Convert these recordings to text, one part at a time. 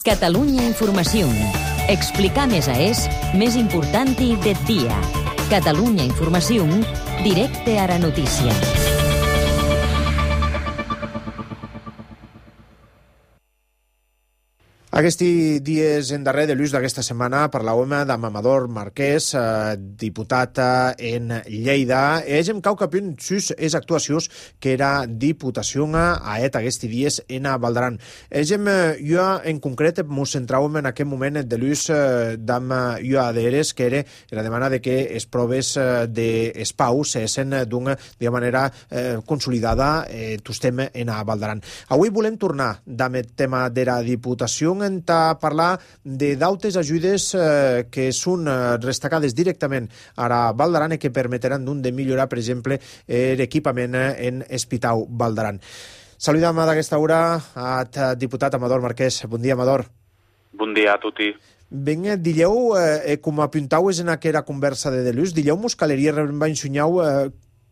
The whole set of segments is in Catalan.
Catalunya Informació. Explicar més més importante del dia. Catalunya Informació, directe a la notícia. Aquests dies en darrer de l'ús d'aquesta setmana parlàvem amb Amador Marquès, diputat en Lleida. Hem cau capint sus es actuacions que era diputació a aquests dies en Valdaran. Jo en concret mos centràvem en aquest moment de l'ús d'am jo aderes, que era la demanda de que es proves d'espau s'essen d'una manera consolidada tostem en Valdaran. Avui volem tornar amb el tema de la diputació a parlar de d'altres ajudes que són destacades directament a Valdaran i que permetran de millorar, per exemple, l'equipament en Hospital Valdaran. Saludem d'aquesta hora al diputat Amador Marquès. Bon dia, Amador. Bon dia a tutti. Ben, dileu, com apuntaues en aquella conversa de Delús, dileu mos caleria va ensenyau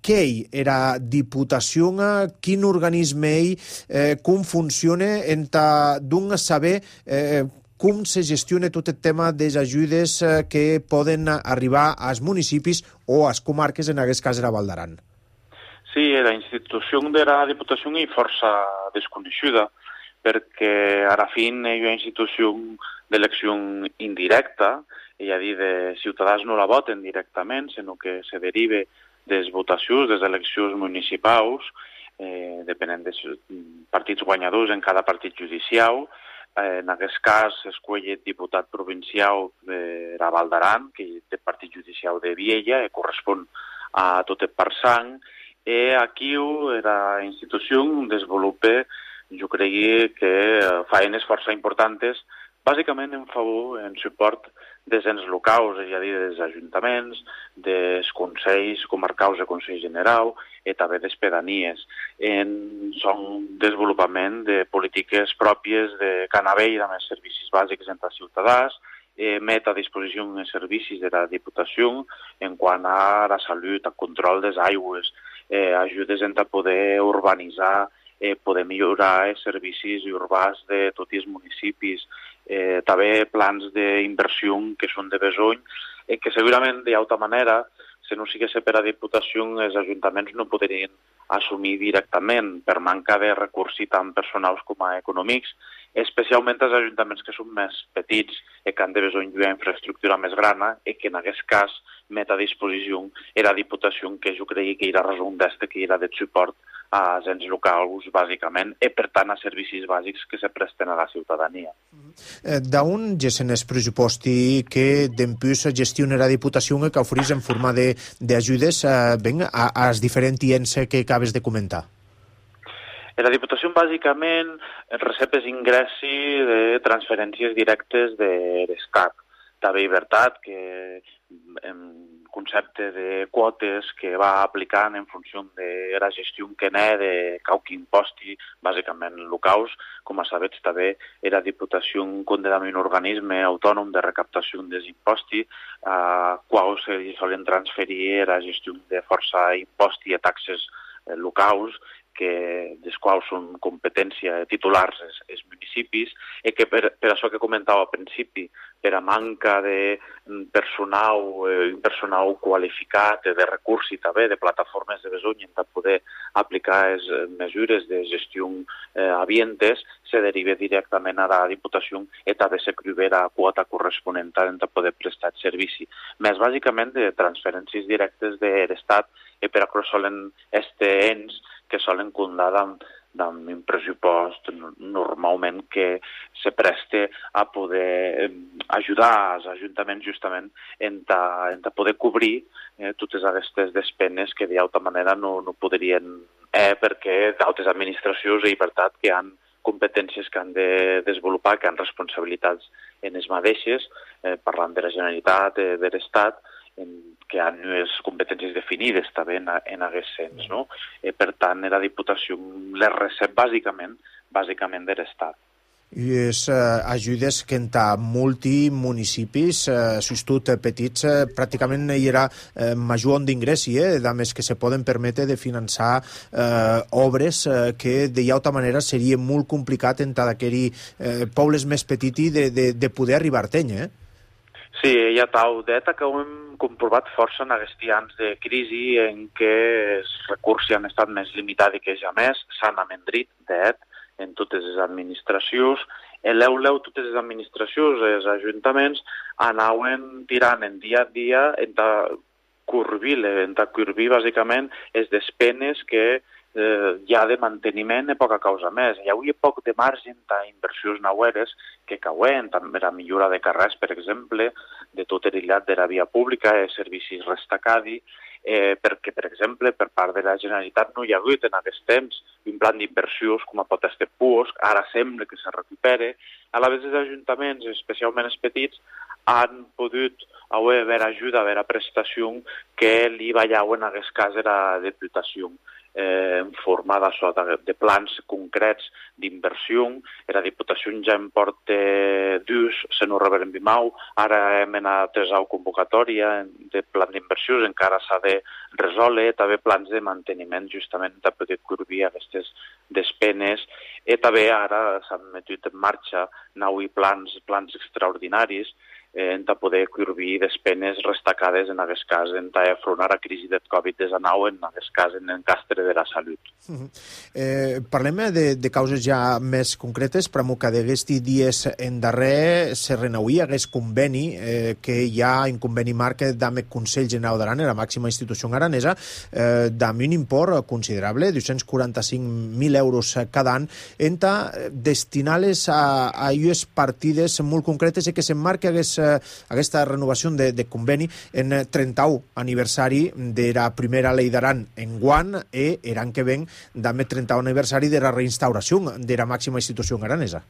què era diputació, quin organisme com funciona, d'un saber com se gestiona tot el tema de les ajudes que poden arribar als municipis o als comarques, en aquest cas era Valdaran. Sí, la institució de la diputació és força desconeguda, perquè a la fin és una institució d'elecció indirecta, és a dir, de ciutadans no la voten directament, sinó que se deriva des votacions, des eleccions municipals, depenent dels partits guanyadors en cada partit judicial. En aquest cas s'escull el diputat provincial de la Valdaran, que és el partit judicial de Viella, i correspon a tot el Parsang. I aquí la institució desenvolupa, jo crec que feines força importants, bàsicament en favor, en suport dels ens locals, és a dir, dels ajuntaments, dels consells comarcals i Consell General, i també des pedanies. Són desenvolupament de polítiques pròpies de Canavell, amb els servicis bàsics entre els ciutadans, met a disposició els servicis de la Diputació en quant a la salut, al control des aigües, ajudes a poder urbanitzar, poder millorar els servicis urbans de tots els municipis, també plans d'inversió que són de besony, que segurament d'altra manera, si no sigués per a Diputació, els ajuntaments no podrien assumir directament per manca de recursos tant personals com econòmics, especialment els ajuntaments que són més petits i que han de besony d'una infraestructura més grana i que en aquest cas met a disposició la Diputació, que jo crec que era raó d'este, que era de suport als ens locals, bàsicament, i per tant a servicis bàsics que se presten a la ciutadania. D'on gessen els pressuposti que d'empús gestiona la Diputació que oferís en forma d'ajudes als diferents ens que acabes de comentar? La Diputació bàsicament recep els ingressos de transferències directes de l'Estat. També veritat que concepte de quotes que va aplicant en funció de la gestió que n'hi de qualque imposti, bàsicament locals. Com a sabets, també la Diputació conté un organisme autònom de recaptació dels impostos, quals se solen transferir la gestió de força imposti i taxes locals, dels quals són competència titulars els municipis, i que per això que comentava al principi, per a manca de personal qualificat, de recursos també, de plataformes de besony per poder aplicar les mesures de gestió avientes, se deriva directament a la Diputació i també se criba la quota corresponent per poder prestar el servici. Més bàsicament de transferències directes de l'Estat i per això solen este ens que solen comptar amb un pressupost normalment que se preste a poder ajudar els ajuntaments justament en poder cobrir totes aquestes despeses que d'altra manera no podrien perquè d'altres administracions i veritat que han competències que han de desenvolupar, que han responsabilitats en les mateixes, parlant de la Generalitat, de l'Estat, que han unes competències definides també en aquest sens, no? Per tant, la Diputació les recep bàsicament de l'Estat. I és ajudes que enta multimunicipis, sustot petits, pràcticament hi era major d'ingressi, dames que se poden permetre de finançar obres que de altra manera seria molt complicat enta d'aquells pobles més petits de poder arribar a tenir, Sí, hi ha tau d'eta que ho hem comprovat força en aquests anys de crisi en què els recursos han estat més limitats que ja més, s'han amendrit d'et en totes les administracions, l'eu totes les administracions, els ajuntaments, anaven tirant en dia a dia curbir bàsicament les despenes que hi ha de manteniment de poca causa més. Hi hauria poc de marge d'inversions naueres que cauen, també la millora de carrers, per exemple, de tot el llat de la via pública, servicis restacadi, perquè, per exemple, per part de la Generalitat no hi ha hagut en aquest temps un plan d'inversions com a pot estar Puos, ara sembla que se recupere. A la vegada els ajuntaments, especialment els petits, han pogut haver ajuda, haver prestació que li ballaven en aquest cas la Diputació en forma de plans concrets d'inversió. La Diputació ja en porta dos, se no reberen bimau, ara hem anat a convocatòria de plan d'inversió, encara s'ha de resoldre, també plans de manteniment justament per poder cobrir aquestes despenes, i també ara s'han metut en marxa plans extraordinaris en poder cobrir despenes restacades en aquest cas, en afrontar la crisi del Covid-19, en aquest cas en l'encastre de la salut. Parlem de causes ja més concretes, però que d'aquests dies en darrer se renouïa aquest conveni, que hi ha un conveni marc d'AMEC Consell General d'Aran, la màxima institució aranesa, d'am un import considerable, 245.000 euros cada any, destinar-les a unes partides molt concretes i que s'emmarca aquesta renovació de conveni en 30è aniversari de la primera llei d'Aran en guant i l'any que ven també 30è aniversari de la reinstauració de la màxima institució aranesa.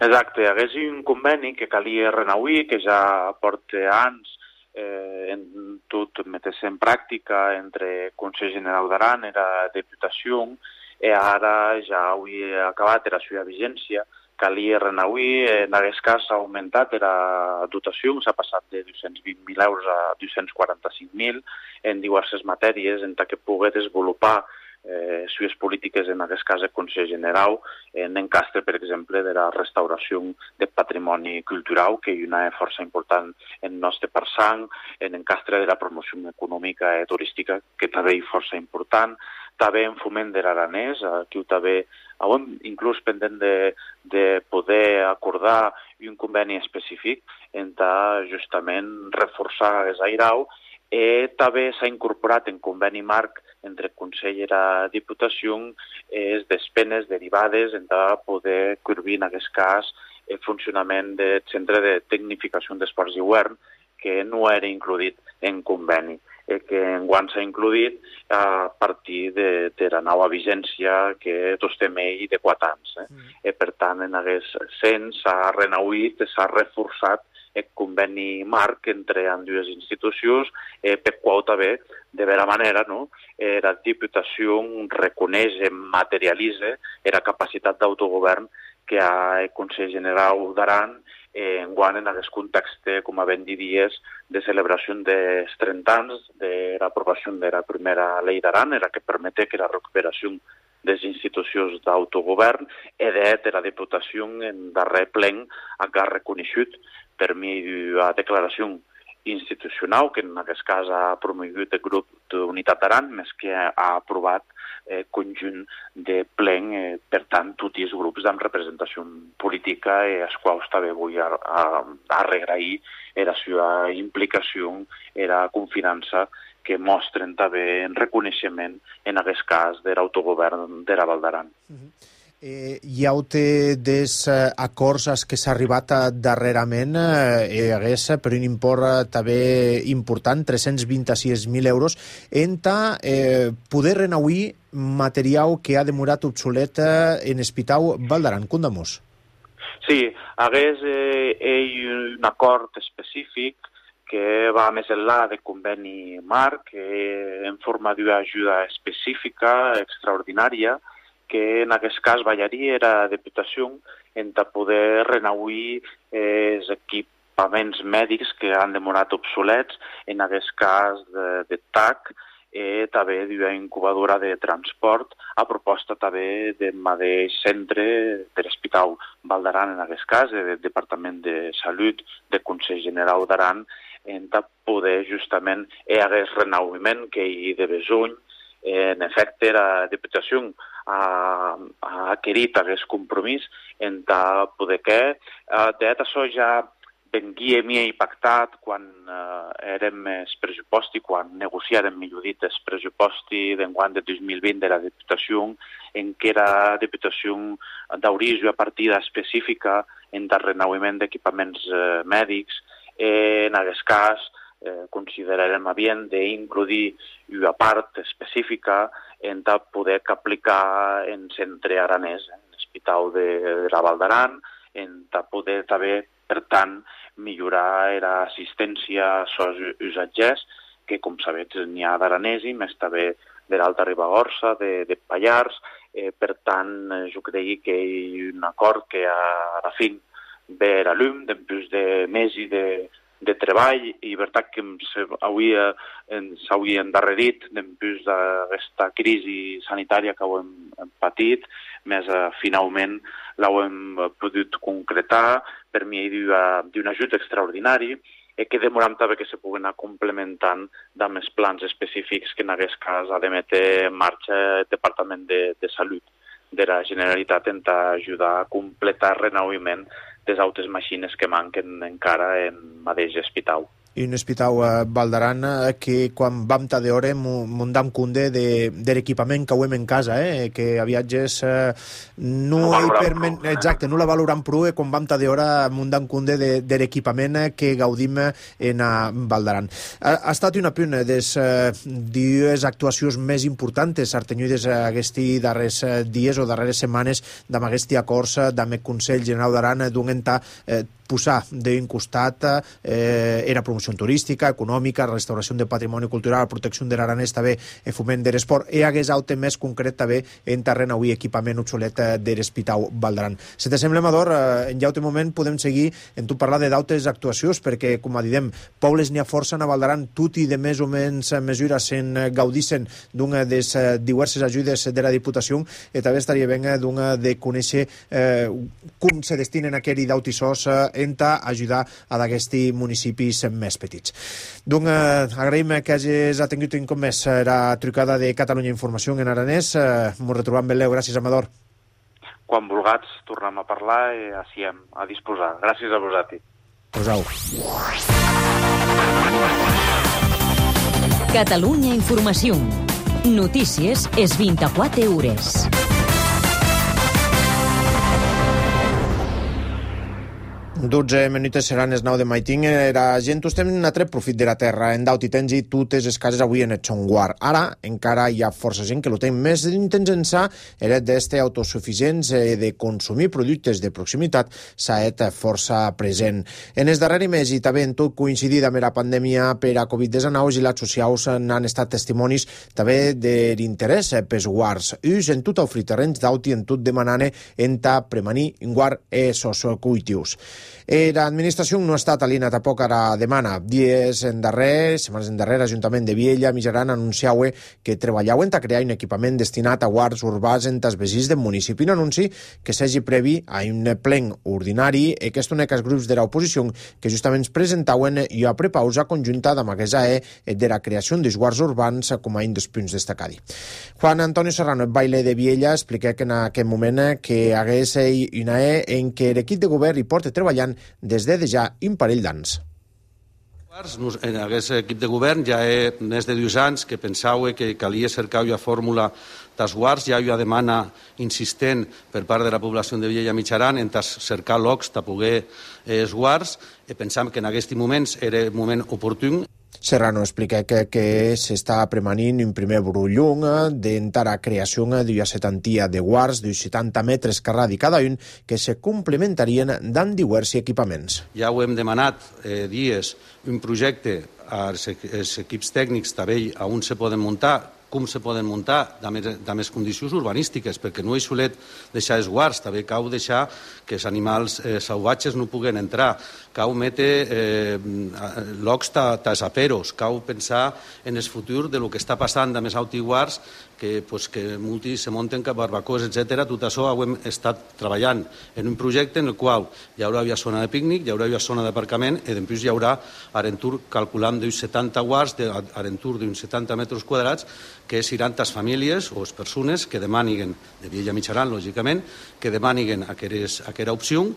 Exacte, hi hagués un conveni que calia renouir, que ja porta anys en tot metre-se en pràctica entre Consell General d'Aran i la Diputació, i ara ja hauria acabat la seva vigència. Calia renouir, en aquest cas s'ha augmentat la dotació, s'ha passat de 220.000 euros a 245.000 en diverses matèries, en què pugui desenvolupar sues polítiques, en aquest cas el Consell General, en encastre, per exemple, de la restauració de patrimoni cultural, que hi ha una força important en el nostre Parsang, en encastre de la promoció econòmica i turística, que també hi força important, també en foment de l'aranès, aquí també inclús pendent de poder acordar un conveni específic en justament reforçar aquest airau, i també s'ha incorporat en conveni marc entre el Consell i la Diputació les despenes derivades en poder cobrir en aquest cas el funcionament del Centre de Tecnificació d'Esports d'Hivern, que no era inclòs en conveni, que enguany s'ha inclòs a partir de la nova vigència que tots tenim de 4 anys. Per tant, en aquest sens s'ha renouït, s'ha reforçat el conveni marc entre dues institucions, per qual també, de vera manera, la Diputació reconeix i materialitza la capacitat d'autogovern que ha el Consell General d'Aran enguany en aquest context, com a ben diries, de celebració dels 30 anys de l'aprovació de la primera llei d'Aran, la que permet que la recuperació de les institucions d'autogovern i de la Diputació en darrer plen ha reconegut per mi la declaració institucional, que en aquest cas ha promogut el grup d'Unitat d'Aran, més que ha aprovat conjunt de plen, per tant, tots els grups amb representació política, els quals també vull agrair la seva implicació i la confiança que mostren també en reconeixement, en aquest cas, de l'autogovern de la Val d'Aran. Hi ha des acords als que s'ha arribat darrerament, hagués per un import també important, 326.000 euros, en poder renouir material que ha demorat obsolet en Espitau Val d'Aran. Condamós. Sí, hagués un acord específic que va més enllà del conveni marc, en forma d'ajuda específica, extraordinària, que en aquest cas ballaria era Diputació en poder renauir els equipaments mèdics que han demorat obsolets, en aquest cas de TAC, també d'una incubadora de transport a proposta també del mateix centre de l'Hospital Val d'Aran, en aquest cas, del Departament de Salut, del Consell General d'Aran, en poder justament aquest renauiment que hi de besoin. En efecte, la Diputació ha adquirit aquest compromís en poder que això ja venguia més pactat quan érem els pressuposti, quan negociàrem, millor dit, els pressuposti d'enguany de 2020 de la Diputació, en què la Diputació d'hauria una partida específica en el renauiment d'equipaments mèdics. En aquest cas, considerarem bien d'incluir una part específica en poder aplicar en centre aranès, en l'Hospital de la Val d'Aran, en poder també, per tant, millorar l'assistència als usatgers, que, com sabeu, n'hi ha d'aranesi, més també de l'Alta Ribagorça, de Pallars. Per tant, jo crec que hi ha un acord que a la fi ve a la llum, després de mesos de treball, i veritat que s'hauria endarrerit després d'aquesta crisi sanitària que ho hem patit, més finalment l'hem pogut concretar per mi d'un ajut extraordinari que demoram també que se pugui anar complementant amb els plans específics que en aquest cas ha de metre en marxa el Departament de Salut de la Generalitat en ajudar a completar el renauiment de les altres màquines que manquen encara en mateix hospital. I un hospital a Val d'Aran que quan vam de hora m'on dam compte de l'equipament que hem en casa, que a viatges no la valorem prou quan vam de hora m'on dam compte de l'equipament que gaudim en Val d'Aran. Ha estat una de les dues actuacions més importants artenyides aquests darrers dies o darreres setmanes amb aquests acords amb el Consell General d'Aran d'un posar d'un costat era promoció turística, econòmica, restauració de patrimoni cultural, protecció de l'aranès, també foment de l'esport, i hagués altre més concret també en terreny avui equipament obsolet de l'Hospital Val d'Aran. Si te sembla, Amador, en altre moment podem seguir en tu parlar d'altres actuacions, perquè, com diem, pobles n'hi ha força a Val d'Aran, tot i de més o menys mesures se'n gaudissin d'una de les diverses ajudes de la Diputació, i també estaria bé de conèixer com se destinen aquells d'autissos en ajudar a d'aquests municipis més petits. Donc, agraïm que hagis atengut un cop més la trucada de Catalunya Informació en aranès. Ens retrobam ben leu. Gràcies, Amador. Quan vulguis, tornem a parlar i així a disposar. Gràcies a vosaltres. Posau. Catalunya Informació. Notícies és 24 hores. 12 minuts seran els 9 de maiting. La gent estem en un tret profit de la terra, en daut i tens i totes les cases avui en el son guard. Ara encara hi ha força gent que lo té més intents ençà era d'este autosuficients de consumir productes de proximitat s'ha estat força present. En els darrers mesos i també en tot coincidit amb la pandèmia per a Covid-19 i les socials n'han estat testimonis també de l'interès pels guards. Us en tot ofrir terrenys d'aut i en tot demanant en premanir un guard sociocultius. L'administració no ha estat aliena tampoc a la demana. Setmanes endarrere, l'Ajuntament de Viella Mitjaran anunciava que treballaven a crear un equipament destinat a guards urbans en els veïns del municipi. Un anunci que s'hagi previ a un plen ordinari i que són els grups de l'oposició que justament presentaven una prepausa conjunta amb aquesta de la creació dels guards urbans com a un dels punts destacats. Juan Antonio Serrano, el baile de Viella, explica que en aquest moment que hagués una en què l'equip de govern hi porta treballant des de ja un parell d'anys. En aquest equip de govern ja més de 2 anys que pensava que calia cercar una fórmula dels guards, hi ha una demanda insistent per part de la població de Viella Mitjaran en cercar llocs per poder els guards, i pensam que en aquests moments era el moment oportú. Serrano explica que s'està premanint un primer brullung d'entrar a creació d'una setantia de guards d'uns 70 metres carradi cada un que se complementarien amb diversos equipaments. Ja ho hem demanat dies, un projecte als equips tècnics també on se poden muntar com se poden muntar de més condicions urbanístiques, perquè no és solet deixar els guards, també cal deixar que els animals salvatges no puguen entrar, cal metre llocs tasaperos, cal pensar en el futur de lo que està passant de més autiguars, que molts se munten cap barbacoes, etc. Tot això ho hem estat treballant en un projecte en el qual hi haurà zona de pícnic, hi haurà zona d'aparcament i després hi haurà arentur, calculant d'uns 70 guards, arentur d'uns 70 metres quadrats, que seran les famílies o les persones que demanin, de Viella Mitjaran, lògicament, que demanin aquesta opció.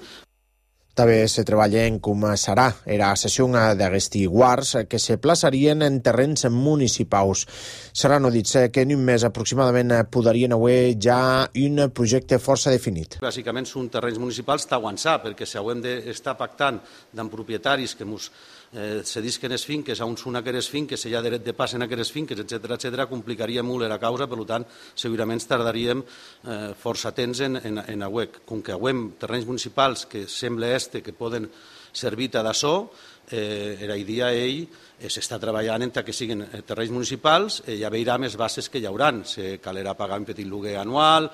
També se treballa en com serà la sessió d'aquests guards que se plaçarien en terrenys municipals. Serrano ha dit que en un mes aproximadament podrien haver ja un projecte força definit. Bàsicament són terrenys municipals d'avançar, perquè si haurem d'estar pactant amb propietaris que se disquen les finques, on són aquestes finques, hi ha dret de pas en aquestes finques, etc., complicaria molt la causa, per tant, segurament tardaríem força temps en AUEC. Com que haguem terrenys municipals que sembla que poden servir d'això, la idea s'està treballant en que siguin terrenys municipals, ja veurem les bases que hi haurà. Se calerà pagar un petit lloguer anual,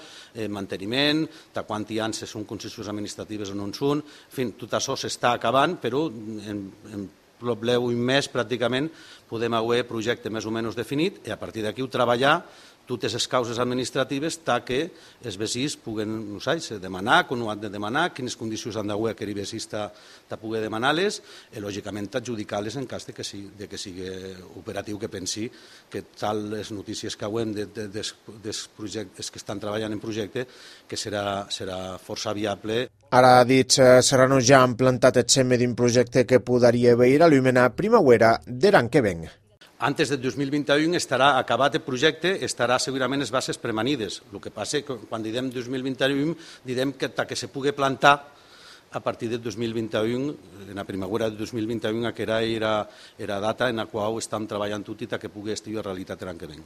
manteniment, de quant hi ha, si són concessions administratives o no en són. En fi, tot això s'està acabant, però en breu un mes pràcticament podem haver projecte més o menys definit i a partir d'aquí treballar totes les causes administratives que els veïns puguen, no sé, demanar, com ho han de demanar, quines condicions han d'haver que el veí de poder demanar-les i, lògicament, adjudicar-les en cas de que sigui operatiu, que pensi que tal les notícies que haguem dels projectes que estan treballant en projecte que serà força viable. Ara ha dit Serrano ja han plantat el seme d'un projecte que podria haver a l'Umena primavera de l'any que ven. Antes del 2021 estarà acabat el projecte, estarà segurament les bases premanides. El que passa que quan diem 2021, direm que se pugui plantar a partir del 2021, en la primavera del 2021, que era data en la qual estem treballant tot i que pugui estar a realitat l'any que ve.